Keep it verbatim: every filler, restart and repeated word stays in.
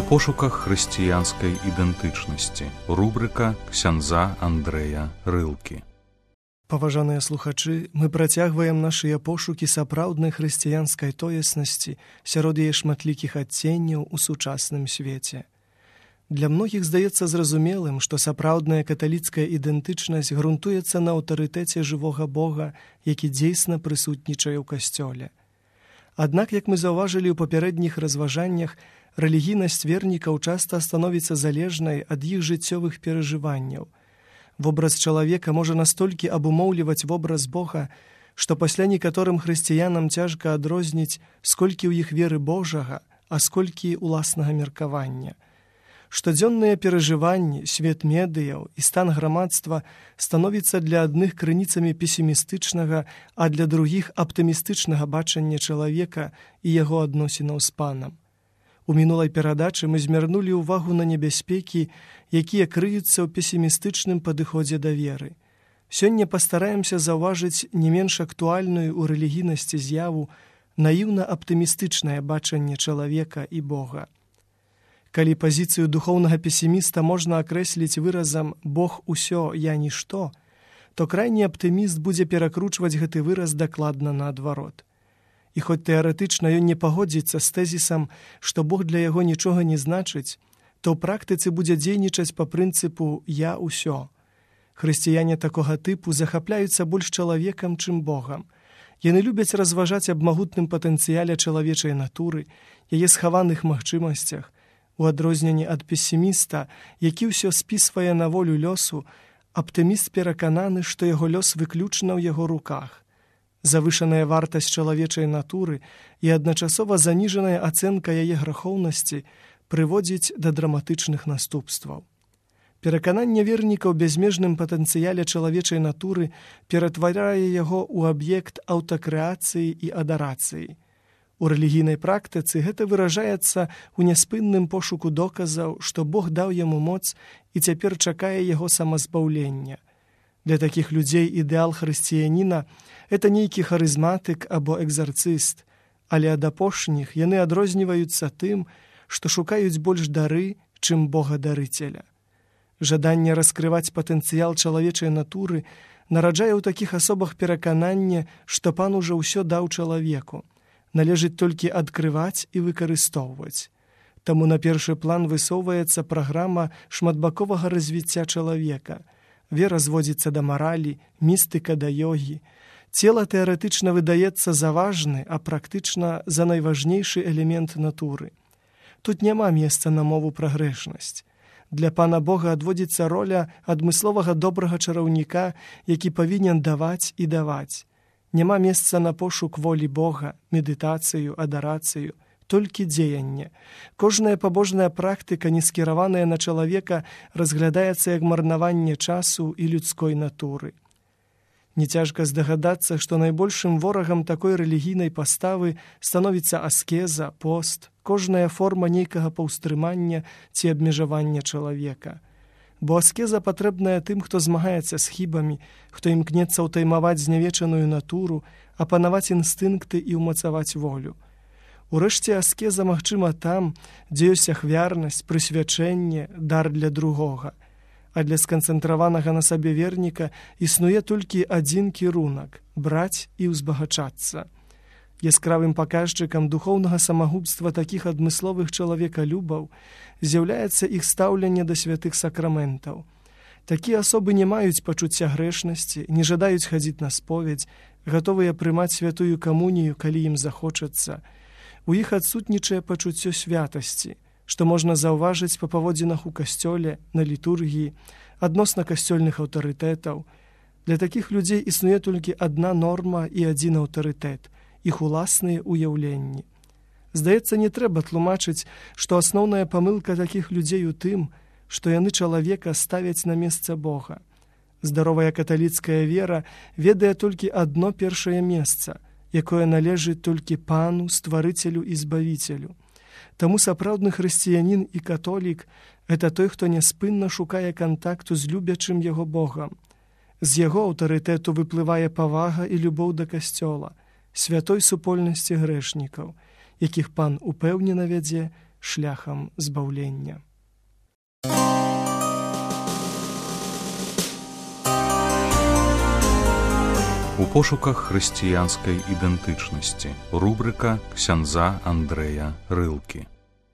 У пошуках хрысціянскай ідэнтычнасці. Рубрыка ксяндза Андрэя Рылкі. Паважаныя слухачы, мы працягваем нашыя пошукі сапраўднай хрысціянскай тоеснасці сярод яе шматлікіх адценняў у сучасным свеце. Для многіх здаецца зразумелым, што сапраўдная каталіцкая ідэнтычнасць грунтуецца на аўтарытэце жывога Бога, які дзейсна прысутнічае ў касцёле. Аднак, як мы заўважылі ў папярэдніх разважаннях, рэлігійнасць вернікаў часта становіцца залежнай ад іх жыццёвых перажыванняў. Вобраз чалавека можа настолькі абумоўліваць вобраз Бога, што пасля некаторым хрысціянам цяжка адрозніць, сколькі ў іх веры Божага, а сколькі уласнага меркавання. Штодзённыя перажыванні, свет медыяў і стан грамадства становіцца для адных крыніцамі песімістычнага, а для другіх аптымістычнага бачання чалавека і яго адносінаў з панам. У мінулай перадачы мы змярнулі ўвагу на небяспекі, якія крыюцца ў песімістычным падыходзе да веры. Сёння пастараемся заўважыць не менш актуальную ў рэлігійнасці з'яву наіўна-аптымістычнае бачанне чалавека і Бога. Калі пазіцыю духоўнага песіміста можна акрэсліць выразам «Бог усё, я нішто», то крайні аптыміст будзе перакручваць гэты выраз дакладна наадварот. І хоць тэарэтычна ён не пагодзіцца з тэзісам, што Бог для яго нічога не значыць, то ў практыцы будзе дзейнічаць па прынцыпу «я ўсё». Хрысціяне такога тыпу захапляюцца больш чалавекам, чым Богам. Яны любяць разважаць аб магутным патэнцыяле чалавечай натуры, яе схаваных магчымасцях. У адрозненні ад песіміста, які ўсё спісвае на волю лёсу, аптыміст перакананы, што яго лёс выключна ў яго руках. Завышаная вартасць чалавечай натуры і адначасова заніжаная ацэнка яе грахоўнасці прыводзіць да драматычных наступстваў. Перакананне вернікаў ў бязмежным патэнцыяле чалавечай натуры ператварае яго ў аб'ект аўтакрэацыі і адарацыі. У рэлігійнай практыцы гэта выражаецца ў няспынным пошуку доказаў, што Бог даў яму моц і цяпер чакае яго самазбаўлення. Для такіх людзей ідэал хрысціяніна – гэта нейкі харызматык або экзарцыст, але ад апошніх яны адрозніваюцца тым, што шукаюць больш дары, чым Бога-дарыцеля. Жаданне раскрываць патэнцыял чалавечай натуры нараджае ў такіх асобах перакананне, што Пан ужо ўсё даў чалавеку. Належыць толькі адкрываць і выкарыстоўваць. Таму на першы план высоўваецца праграма шматбаковага развіцця чалавека. Вера зводзіцца да маралі, містыка да йогі. Цела тэарэтычна выдаецца за важны, а практычна за найважнейшы элемент натуры. Тут няма месца на мову пра грэшнасць. Для Пана Бога адводзіцца роля адмысловага добрага чараўніка, які павінен даваць і даваць. Няма месца на пошук волі Бога, медытацыю, адарацыю, толькі дзеянне. Кожная пабожная практыка, не скіраваная на чалавека, разглядаецца як марнаванне часу і людской натуры. Нецяжка здагадацца, што найбольшым ворагам такой рэлігійнай паставы становіцца аскеза, пост, кожная форма нейкага паўстрымання ці абмежавання чалавека. Бо аскеза патрэбная тым, хто змагаецца з хібамі, хто імкнецца ўтаймаваць знявечаную натуру, апанаваць інстынкты і ўмацаваць волю. Урэшце аскеза магчыма там, дзе ёсць ахвярнасць, прысвячэнне, дар для другога. А для сканцэнтраванага на сабе верніка існуе толькі адзін кірунак – браць і ўзбагачацца. Яскравым паказчыкам духоўнага самагубства такіх адмысловых чалавекалюбаў з'яўляецца іх стаўленне да святых сакраментаў. Такія асобы не маюць пачуцця грэшнасці, не жадаюць хадзіць на споведзь, гатовыя прымаць святую камунію, калі ім захочацца. У іх адсутнічае пачуццё святасці, што можна заўважыць па паводзінах у касцёле, на літургіі, адносна касцёльных аўтарытэтаў. Для такіх людзей існуе толькі адна норма і адзін аўтарытэт – іх уласныя ўяўленні. Здаецца, не трэба тлумачыць, што асноўная памылка такіх людзей у тым, што яны чалавека ставяць на месца Бога. Здаровая каталіцкая вера ведае толькі адно першае месца, якое належыць толькі Пану, Стварыцелю і Збавіцелю. Таму сапраўдны хрысціянін і католік – гэта той, хто няспынна шукае кантакту з любячым яго Богам. З яго аўтарытэту выплывае павага і любоў да касцёла, святой супольнасці грэшнікаў, якіх Пан упэўнена вядзе шляхам збаўлення. У пошуках хрысціянскай ідэнтычнасці. Рубрыка ксяндза Андрэя Рылкі.